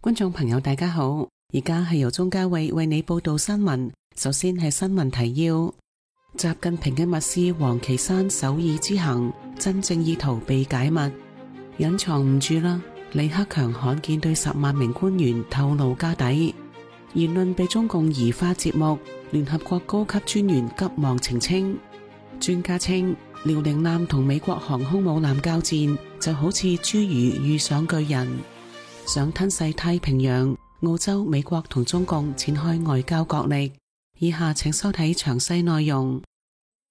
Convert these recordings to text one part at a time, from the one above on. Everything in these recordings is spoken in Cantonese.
觀眾朋友大家好，而家係由鍾嘉慧為你報道新聞。首先係新聞提要：習近平嘅密使王岐山首爾之行，真正意圖被解密，隱藏唔住啦。李克強罕見對10萬名官員透露家底，言論被中共移花接木，聯合國高級專員急忙澄清。專家稱，遼寧艦同美國航空母艦交戰，就好似侏儒遇上巨人。想吞噬太平洋，澳洲、美國同中共展開外交角力。以下請收睇詳細內容。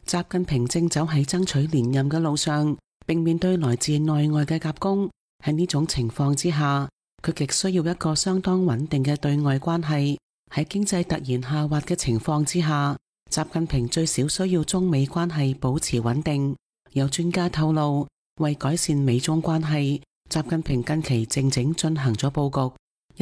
習近平正走喺爭取連任嘅路上，並面對來自內外嘅夾攻。喺呢種情況之下，佢極需要一個相當穩定嘅對外關係。喺經濟突然下滑嘅情況之下，習近平最少需要中美關係保持穩定。有專家透露，為改善美中關係，習近平近期靜靜進行咗佈局。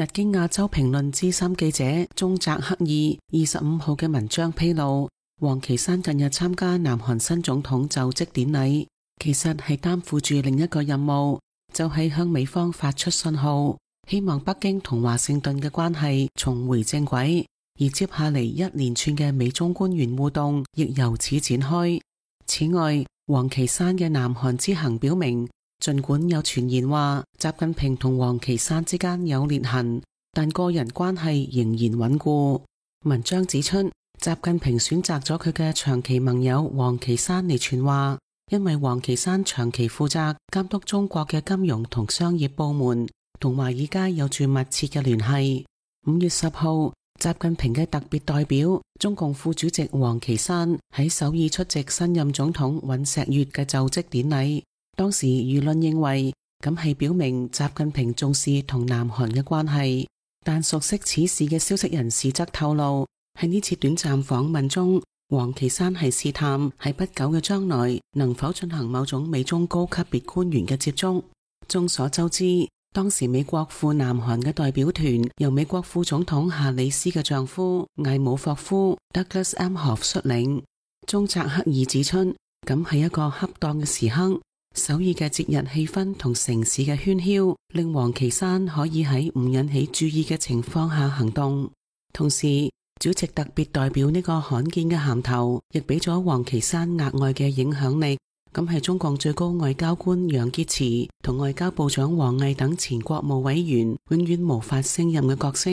日經亞洲評論資深記者中澤克二25號嘅文章披露，王岐山近日參加南韓新總統就職典禮，其實係擔負住另一個任務，就係向美方發出信號，希望北京同華盛頓嘅關係重回正軌。而接下嚟一連串嘅美中官員互動亦由此展開。此外，王岐山嘅南韓之行表明，儘管有傳言話習近平同王岐山之間有裂痕，但個人關係仍然穩固。文章指出，習近平選擇咗佢嘅長期盟友王岐山嚟傳話，因為王岐山長期負責監督中國嘅金融同商業部門，同華爾街有住密切嘅聯繫。5月10號，習近平嘅特別代表中共副主席王岐山喺首爾出席新任總統尹錫悅嘅就職典禮。當時輿論認為咁係表明習近平重視同南韓嘅關係，但熟悉此事嘅消息人士則透露，喺呢次短暫訪問中，王岐山係試探喺不久嘅將來能否進行某種美中高級別官員嘅接觸。眾所周知，當時美國赴南韓嘅代表團由美國副總統夏里斯嘅丈夫艾姆霍夫 Douglas Emhoff 率領。中澤克二指出，咁係一個恰當嘅時刻。首爾嘅節日氣氛同城市嘅喧囂，令王岐山可以喺唔引起注意嘅情況下行動。同時，主席特別代表呢個罕見嘅銜頭，亦俾咗王岐山額外嘅影響力。咁係中共最高外交官楊潔篪同外交部長王毅等前國務委員永遠無法勝任嘅角色。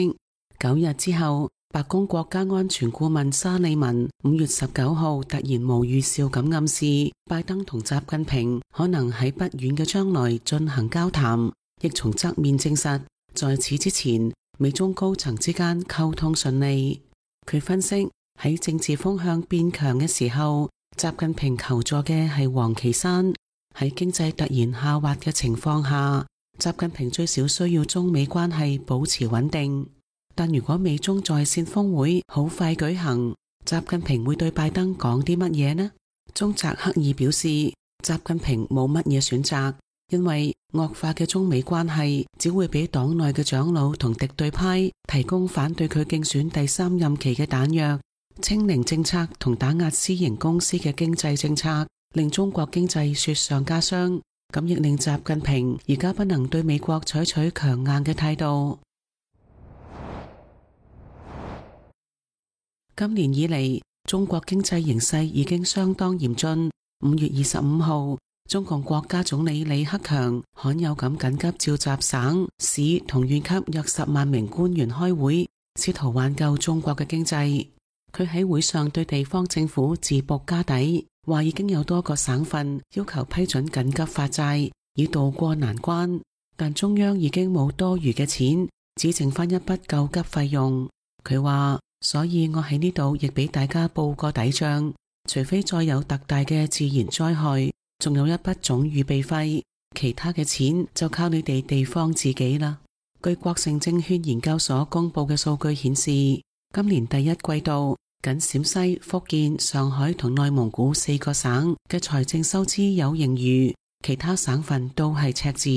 9日之後，白宮國家安全顧問沙利文5月19號突然無預兆咁暗示，拜登同習近平可能喺不遠嘅將來進行交談，亦從側面證實，在此之前，美中高層之間溝通順利。佢分析，喺政治風向變強嘅時候，習近平求助嘅係王岐山。喺經濟突然下滑嘅情況下，習近平最少需要中美關係保持穩定。但如果美中在線峰會好快舉行，習近平會對拜登講啲乜嘢呢？中澤克二表示，習近平冇乜嘢選擇，因為惡化嘅中美關係只會俾黨內嘅長老同敵對派提供反對佢競選第3任期嘅彈藥。清零政策同打壓私營公司嘅經濟政策，令中國經濟雪上加霜，咁亦令習近平而家不能對美國採取強硬嘅態度。今年以嚟，中國經濟形勢已經相當嚴峻。5月25號，中共國家總理李克強罕有咁緊急召集省、市同縣級約10萬名官員開會，試圖挽救中國嘅經濟。佢喺會上對地方政府自曝家底，話已經有多個省份要求批准緊急發債，以渡過難關，但中央已經冇多餘嘅錢，只剩翻一筆救急費用。佢話，所以我喺呢度亦俾大家報個底賬，除非再有特大嘅自然災害，仲有一筆總預備費，其他嘅錢就靠你哋地方自己啦。據國盛證券研究所公布嘅數據顯示，今年第一季度，僅陝西、福建、上海同內蒙古4個省嘅財政收支有盈餘，其他省份都係赤字。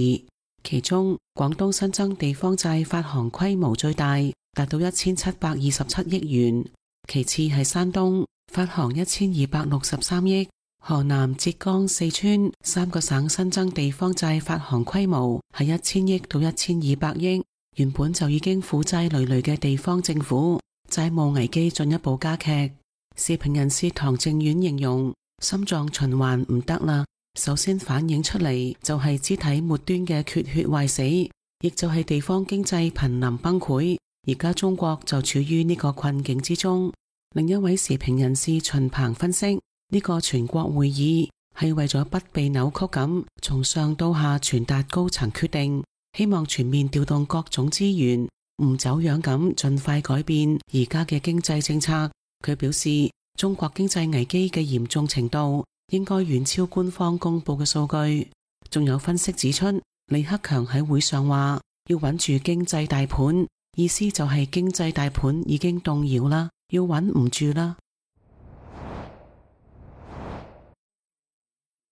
其中，廣東新增地方債發行規模最大，達到1727億元，其次係山東發行1263億，河南、浙江、四川3個省新增地方債發行規模係1000億到1200億，原本就已經負債累累嘅地方政府，債務危機進一步加劇。時評人士唐正遠形容，心臟循環唔得啦，首先反映出嚟就係肢體末端嘅缺血壞死，亦就係地方經濟瀕臨崩潰。而家中國就處於呢個困境之中。另一位時評人士秦鵬分析，呢個全國會議係為咗不被扭曲咁從上到下傳達高層決定，希望全面調動各種資源，唔走樣咁盡快改變而家嘅經濟政策。佢表示，中國經濟危機嘅嚴重程度應該遠超官方公布嘅數據。仲有分析指出，李克強喺會上話要穩住經濟大盤，意思就係經濟大盤已經動搖啦，要穩唔住啦。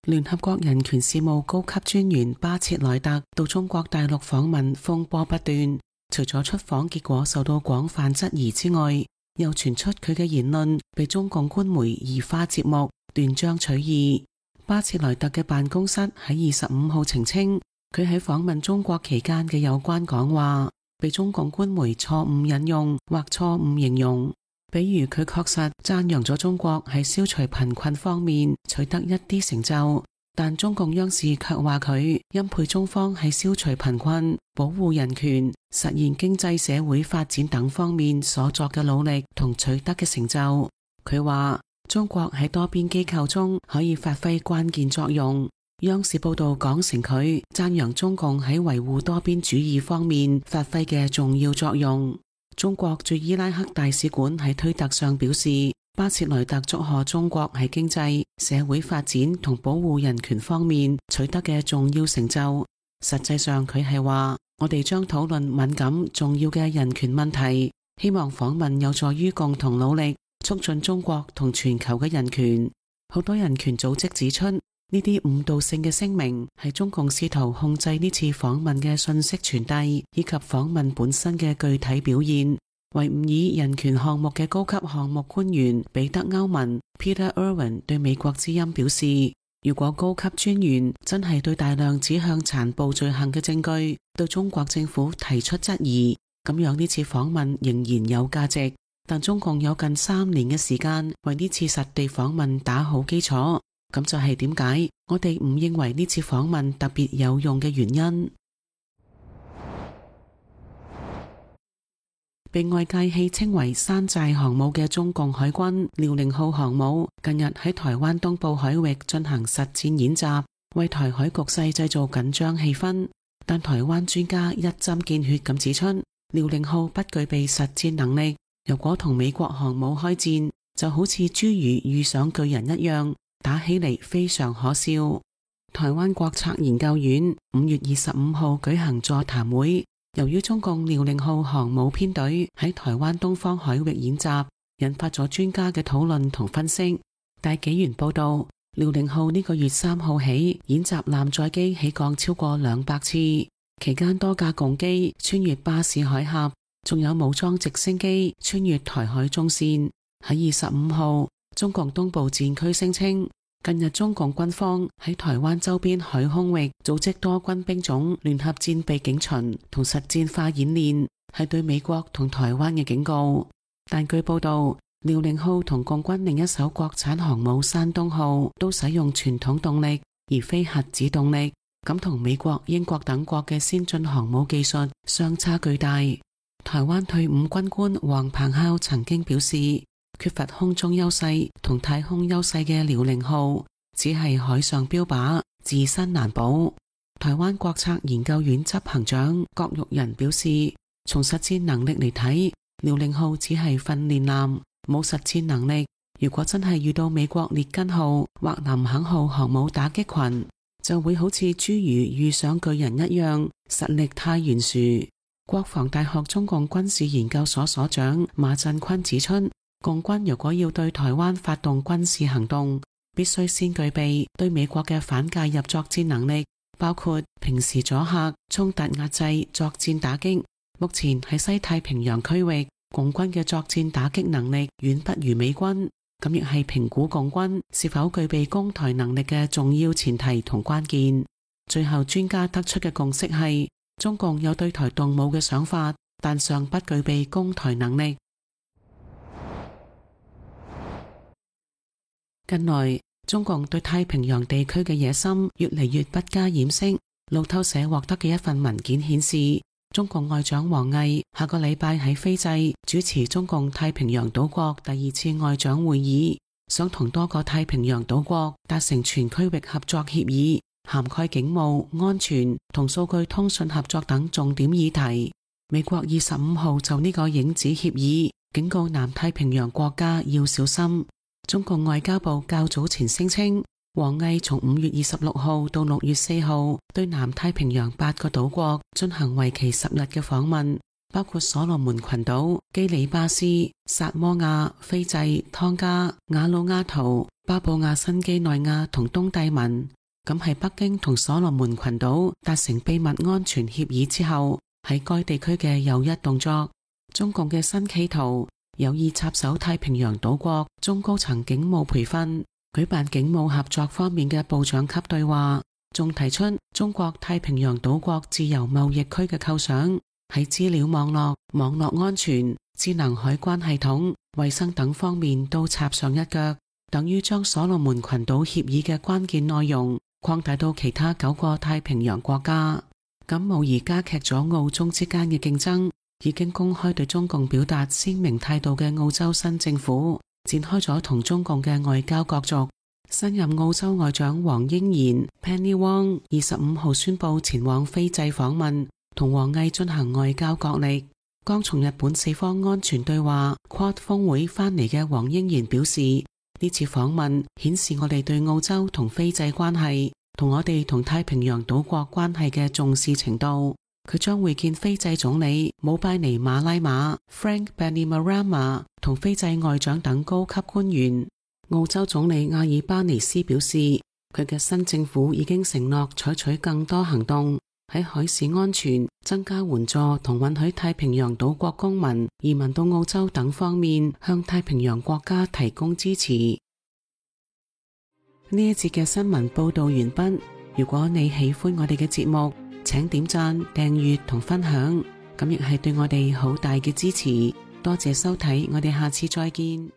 聯合國人權事務高級專員巴切萊特到中國大陸訪問風波不斷，除咗出訪結果受到廣泛質疑之外，又傳出佢嘅言論被中共官媒移花接木，斷章取義。巴切萊特嘅辦公室喺25號澄清，佢喺訪問中國期間嘅有關講話被中共官媒錯誤引用或錯誤形容。比如佢確實讚揚咗中國喺消除貧困方面取得一啲成就，但中共央視卻話佢欽佩中方喺消除貧困、保護人權、實現經濟社會發展等方面所作嘅努力同取得嘅成就。佢話中國喺多邊機構中可以發揮關鍵作用。央視報道講成佢讚揚中共喺維護多邊主義方面發揮嘅重要作用。中國駐伊拉克大使館喺推特上表示，巴切萊特祝賀中國喺經濟、社會發展同保護人權方面取得嘅重要成就。實際上佢係話，我哋將討論敏感重要嘅人權問題，希望訪問有助於共同努力促進中國同全球嘅人權。好多人權組織指出，呢啲誤導性嘅聲明係中共試圖控制呢次訪問嘅信息傳遞以及訪問本身嘅具體表現。維吾爾人權項目嘅高級項目官員彼得歐文 Peter Irwin 對美國之音表示，如果高級專員真係對大量指向殘暴罪行嘅證據對中國政府提出質疑，咁樣呢次訪問仍然有價值。但中共有近3年嘅時間為呢次實地訪問打好基礎，咁就係點解我哋唔認為呢次訪問特別有用嘅原因。被外界戲稱為山寨航母嘅中共海軍遼寧號航母近日喺台灣東部海域進行實戰演習，為台海局勢製造緊張氣氛。但台灣專家一針見血咁指出，遼寧號不具備實戰能力，如果同美國航母開戰，就好似侏儒遇上巨人一樣，打起嚟非常可笑。台灣國策研究院5月25號舉行座談會，由於中共遼寧號航母編隊喺台灣東方海域演習，引發咗專家嘅討論同分析。大紀元報道，遼寧號呢個月3號起演習艦載機起降超過200次，期間多架共機穿越巴士海峽，仲有武裝直升機穿越台海中線。喺25號，中共東部戰區聲稱，近日中共軍方喺台灣周邊海空域組織多軍兵種聯合戰備警巡同實戰化演練，係對美國同台灣嘅警告。但據報道，遼寧號同共軍另一艘國產航母山東號都使用傳統動力，而非核子動力，咁同美國、英國等國嘅先進航母技術相差巨大。台灣退伍軍官黃鵬孝曾經表示，缺乏空中優勢同太空優勢嘅遼寧號只係海上標靶，自身難保。台灣國策研究院執行長郭玉仁表示，從實戰能力嚟睇，遼寧號只係訓練艦，冇實戰能力。如果真係遇到美國列根號或林肯號航母打擊群，就會好似侏儒遇上巨人一樣，實力太懸殊。國防大學中共軍事研究所所長馬振坤指出，共軍如果要對台灣發動軍事行動，必須先具備對美國嘅反介入作戰能力，包括平時阻嚇、衝突壓制、作戰打擊。目前喺西太平洋區域，共軍嘅作戰打擊能力遠不如美軍，咁亦係評估共軍是否具備攻台能力嘅重要前提同關鍵。最後專家得出嘅共識係，中共有對台動武嘅想法，但尚不具備攻台能力。近來，中共對太平洋地區嘅野心越嚟越不加掩飾。路透社獲得嘅一份文件顯示，中共外長王毅下個禮拜喺斐濟主持中共太平洋島國第2次外長會議，想同多個太平洋島國達成全區域合作協議，涵蓋警務、安全同數據通訊合作等重點議題。美國25號就呢個影子協議警告南太平洋國家要小心。中共外交部較早前聲稱，王毅從5月26號到6月4號對南太平洋8個島國進行為期10日嘅訪問，包括所羅門群島、基里巴斯、薩摩亞、斐濟、湯加、瓦努阿圖、巴布亞新畿內亞同東帝汶。咁係北京同所羅門群島達成秘密安全協議之後，喺該地區嘅又一動作。中共嘅新企圖有意插手太平洋島國中高層警務培訓，舉辦警務合作方面嘅部長級對話，仲提出中國太平洋島國自由貿易區嘅構想，喺資料網絡、網絡安全、智能海關系統、衛生等方面都插上一腳，等於將所羅門群島協議嘅關鍵內容擴大到其他9個太平洋國家，咁無疑加劇咗澳中之間嘅競爭。已經公開對中共表達鮮明態度嘅澳洲新政府展開咗同中共嘅外交角逐。新任澳洲外長黃英賢 Penny Wong 25號宣布前往斐濟訪問，同王毅進行外交角力。剛從日本4方安全對話 Quad 峰會返嚟嘅黃英賢表示，呢次訪問顯示我哋對澳洲同斐濟關係同我哋同太平洋島國關係嘅重視程度。佢將會見斐濟總理姆拜尼馬拉馬 Frank Bainimarama 同斐濟外長等高級官員。澳洲總理阿爾巴尼斯表示，佢嘅新政府已經承諾採取更多行動，喺海事安全、增加援助同允許太平洋島國公民移民到澳洲等方面向太平洋國家提供支持。呢一節嘅新聞報道完畢。如果你喜歡我哋嘅節目，請點讚、訂閱同分享，咁亦係對我哋好大嘅支持。多謝收睇，我哋下次再見。